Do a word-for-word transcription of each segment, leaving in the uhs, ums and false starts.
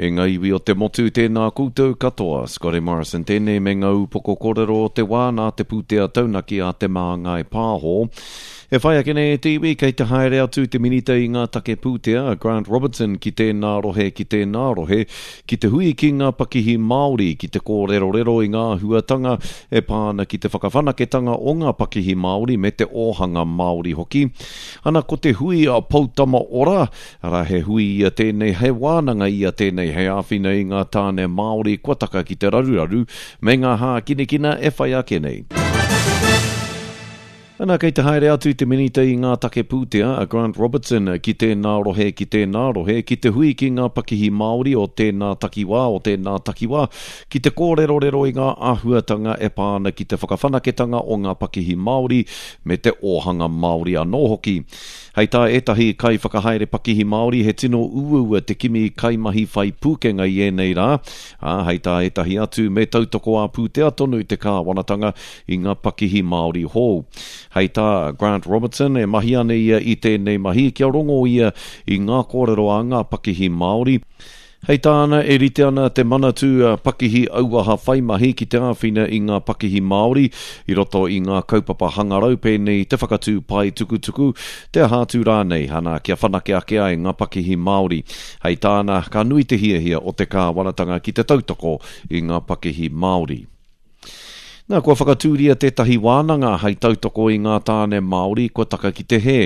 E ngā iwi o te motu, tēnā koutou katoa. Scotty Morrison tēnei me ngā upoko kōrero o te wā nā te pūtea taunaki a Te Māngai Pāho. E whai ake nei e te iwi, kei te haere atu te minita i ngā take pūtea, a Grant Robertson, ki tēnā rohe, ki tēnā rohe, ki te hui ki ngā pakihi Māori, ki te kōrerorero i ngā āhuatanga e pā ana ki te whakawhanaketanga o ngā pakihi Māori me te ōhanga Māori hoki. Ana ko te hui a Poutama Ora, arā he hui ia tēnei, he wānanga ia tēnei hei āwhina i ngā tāne Māori kua taka ki te raruraru me ngā hākinakina e whai ake nei. Ana kei te haere atu te minita i ngā take pūtea a Grant Robertson ki tēnā rohe, ki tēnā rohe, ki te hui ki ngā pakihi Māori o tēnā takiwā, o tēnā takiwā, ki te kōrerorero i ngā āhuatanga e pā ana ki te whakawhanaketanga o ngā pakihi Māori me te ōhanga Māori anō hoki. Hei tā ētahi kaiwhakahaere pakihi Māori he tino uaua te kimi kaimahi whai pūkenga i ēnei rā, ā, hei tā ētahi atu me tautoko ā-pūtea tonu te kāwanatanga i ngā pakihi Māori hou. Hei tā Grant Robertson e mahi ana ia i tēnei mahi kia rongo ia i ngā kōrero a ngā pakihi Māori. Hei tāna e rite ana te Manatū Pakihi Auaha Whaimahi ki te āwhina i ngā pakihi Māori i roto i ngā kaupapa hangarau pēnei i te whakatū pae tukutuku, te aha atu rānei, ana kia whanake ake ai ngā pakihi Māori. Hei tāna, ka nui te hiahia o te kāwanatanga ki te tautoko i ngā pakihi Māori. Nā, kua whakatūria tētahi wānanga hei tautoko i ngā tāne Māori kua taka ki te hē.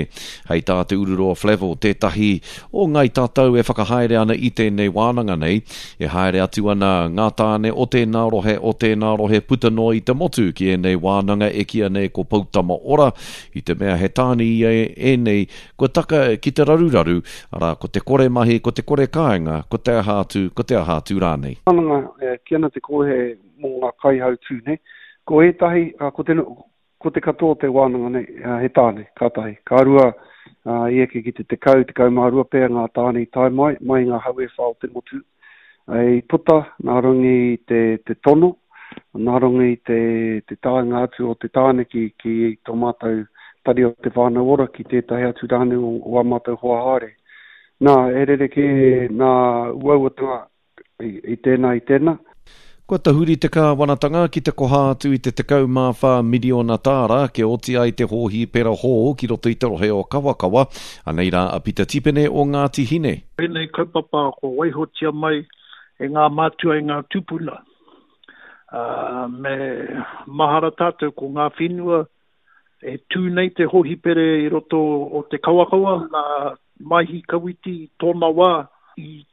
Hei tā Te Ururoa Flavell, tētahi o Ngāi Tātou e whakahaere ana i tēnei wānanga nei, e haere atu ana ngā tāne o tēnā rohe, o tēnā rohe puta noa i te motu ki ēnei wānanga e kīia nei ko Poutama Ora, i te mea he tāne ia ēnei kua taka ki te raruraru, arā, ko te kore mahi, ko te kore kāinga, ko te aha atu, ko te aha atu rānei. Wānanga, e kī ana te kōhe mō ngā kaihautū, nē. Ko ētahi, ko te, ko te katoa o te wānanga nei, he tāne, ka tahi. Ka rua, i eke ki te tekau, tekau mā rua pea ngā tāne i tae mai, mai i ngā hau e whā o te motu. I puta nā runga i te, te tono, nā runga i te, te taenga atu o te tāne ki, ki tō mātou tari o Te Whānau Ora, ki tētahi atu rānei o, o ā mātou hoa haere. Nā, he rerekē nā uauatanga i, i tēnā, i tēnā. Kua tahuri te kāwanatanga ki te koha atu i te tekau mā whā miriona tāra kia oti ai te hōhipera hou ki roto i te rohe o Kawakawa. Anei rā a Pita Tipene o Ngāti Hine. Ēnei kaupapa kua waihotia mai e ngā mātua e ngā tūpuna. Ā, me mahara tātou ko ngā whenua e tū nei te hōhipere i roto o te Kawakawa nā Maihi Kawiti i tōna wā i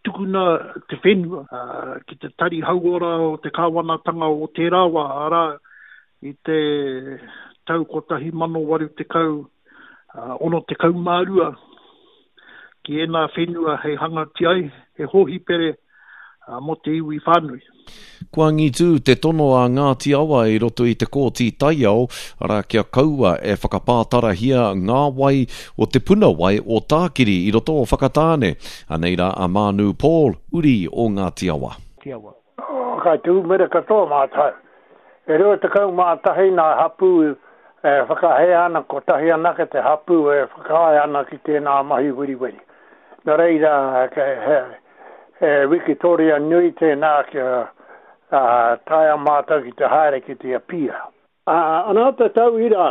tukuna te whenua ki te tari hauora o te kāwanatanga o tērā wā, arā, i te tau kotahi mano waru tekau, ono tekau mā rua, ki ēnā whenua hei hangatia ai he hōhipere mō te iwi whānui. Kua angitū te tono a Ngāti Awa i roto i te Kōti Taiao, arā, kia kaua e whakapātarahia ngā wai o te puna wai o Tākiri i roto o Whakatāne. Anei rā a Mānu Paul, uri o Ngāti Awa. Kai te umere katoa mātou. E rua tekau mā tahi nā hapū e whakahē ana, kotahi anake te hapū e whakaae ana ki tēnā mahi weriweri. Nō reira, he, he wikitoria nui tēnā kia taea mātou ki te haere ki te apia. Ana te tauira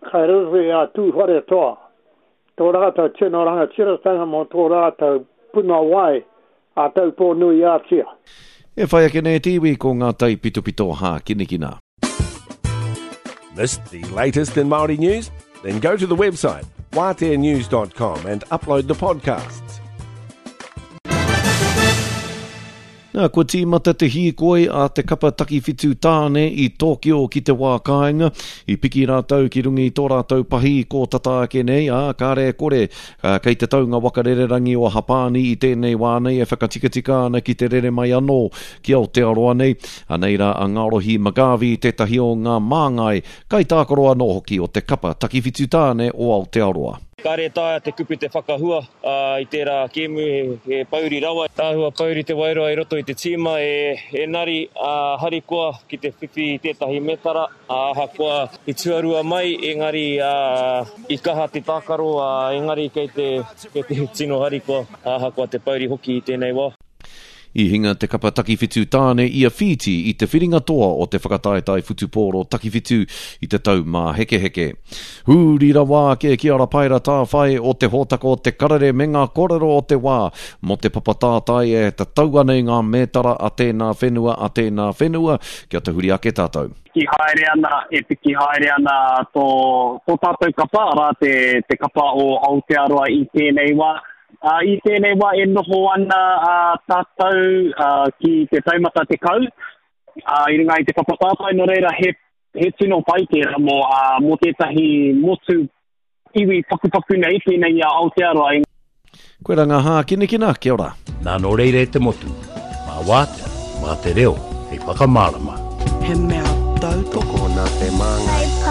kai roto i a Tūwharetoa, tō rātou tino rangatiratanga mō tō rātou puna wai a Taupō-nui-ā-Tia. E whai ake nei te iwi ko ngā taipitopito hākinakina. Missed the latest in Māori news? Then go to the website waatea news dot com and upload the podcasts. Nā, kua tīmata te hīkoi a te kapa takiwhitu tāne i Tōkio ki te wā kāinga. I piki rātou ki runga i tō rātou pahi i kō tata ake nei, ā, kāre e kore, ā, kei te taunga waka rererangi o Hapāni i tēnei wā nei e whakatikatika ana ki te rere mai anō ki Aotearoa nei. Anei rā a Ngarohi McGarvey, tētahi o ngā māngai kaitākaro anō hoki o te kapa takiwhitu tāne o Aotearoa. Kāre e taea te kupu te whakahua i tērā kēmu, he pouri rawa. Āhua pouri te wairua i roto i te tīma, engari harikoa ki te whiwhi i tētahi metara, ahakoa i tuarua mai, engari i kaha te tākaro, engari kei te tino harikoa, ahakoa te pouri hoki i tēnei wā. I hinga te kapa takiwhitu tāne i a Whīti i te whiringa toa o te whakataetae whutupōro takiwhitu i te tau māhekeheke. Huri rawa ake ki a Rapaera Tāwhai o te hōtaka o Te Karere me ngā kōrero o te wā mō te papa tātai e tatau ana i ngā mētara a tēnā whenua, a tēnā whenua, kia tahuri ake tātou. Piki haere ana, e piki haere ana tō, tō tātou kapa, arā te, te kapa o Aotearoa i tēnei wā. Ā, i tēnei wā e noho ana ā, tātou ā, ki te taumata tekau, ā, i runga i te papa tātai, nō reira he, he tino pai tērā mō, ā, mō tētahi motu iwi pakupaku nei, pēnei i a Aotearoa. Koira ngā hākinakina, kia ora. Nā nō reira e te motu, mā Wātea, mā te reo hei whakamārama. He mea tautoko. Tokona te māngai.